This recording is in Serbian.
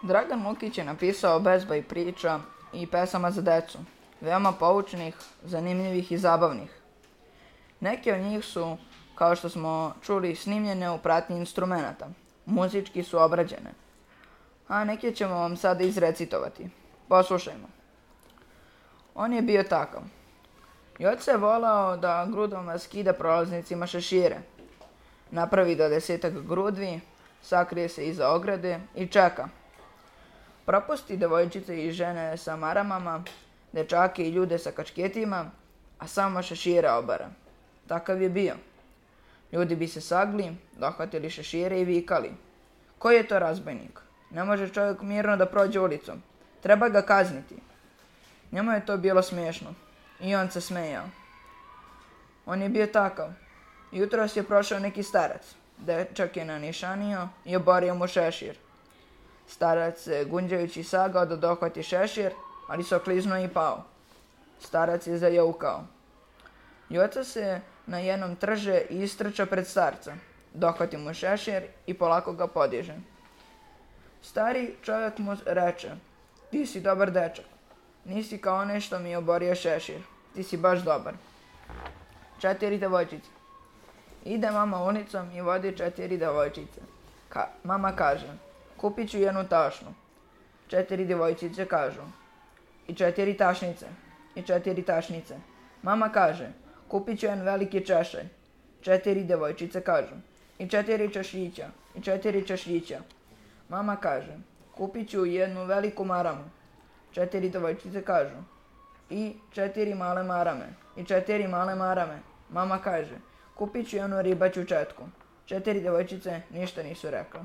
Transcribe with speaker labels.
Speaker 1: Dragan Lukić je napisao bezbroj priča i pesama za decu, veoma poučnih, zanimljivih i zabavnih. Neke od njih su, kao što smo čuli, snimljene u pratnji instrumenata, muzički su obrađene, a neke ćemo vam sada izrecitovati. Poslušajmo. On je bio takav. Joca je volao da grudvama skida prolaznicima šešire. Napravi 20 grudvi, sakrije se iza ograde i čeka. Propusti devojčice i žene sa maramama, dečake i ljude sa kačketima, a samo šešire obara. Takav je bio. Ljudi bi se sagli, dohvatili šešire i vikali: koji je to razbojnik? Ne može čovjek mirno da prođe ulicom. Treba ga kazniti. Njemu je to bilo smiješno i on se smejao. On je bio takav. Jutros je prošao neki starac. Dečak je nanišanio i oborio mu šešir. Starac se gunđajući sagao da dohvati šešir, ali se okliznuo i pao. Starac je zajaukao. Joca se na jednom trže i istrča pred starca. Dohvati mu šešir i polako ga podiže. Stari čovjek mu reče: ti si dobar dečak. Nisi kao onaj što mi je oborio šešir. Ti si baš dobar. 4 devojčice. Ide mama ulicom i vodi 4 devojčice. Mama kaže: kupit ću jednu tašnu. 4 devojčice kažu: i 4 tašnice. I 4 tašnice. Mama kaže: kupit ću jedan veliki češelj. 4 devojčice kažu: i 4 češljića. I 4 češljića. Mama kaže: kupit ću jednu veliku maramu. 4 devojčice kažu: i 4 male marame. I 4 male marame. Mama kaže: kupit ću jednu ribaću četku. 4 devojčice ništa nisu rekle.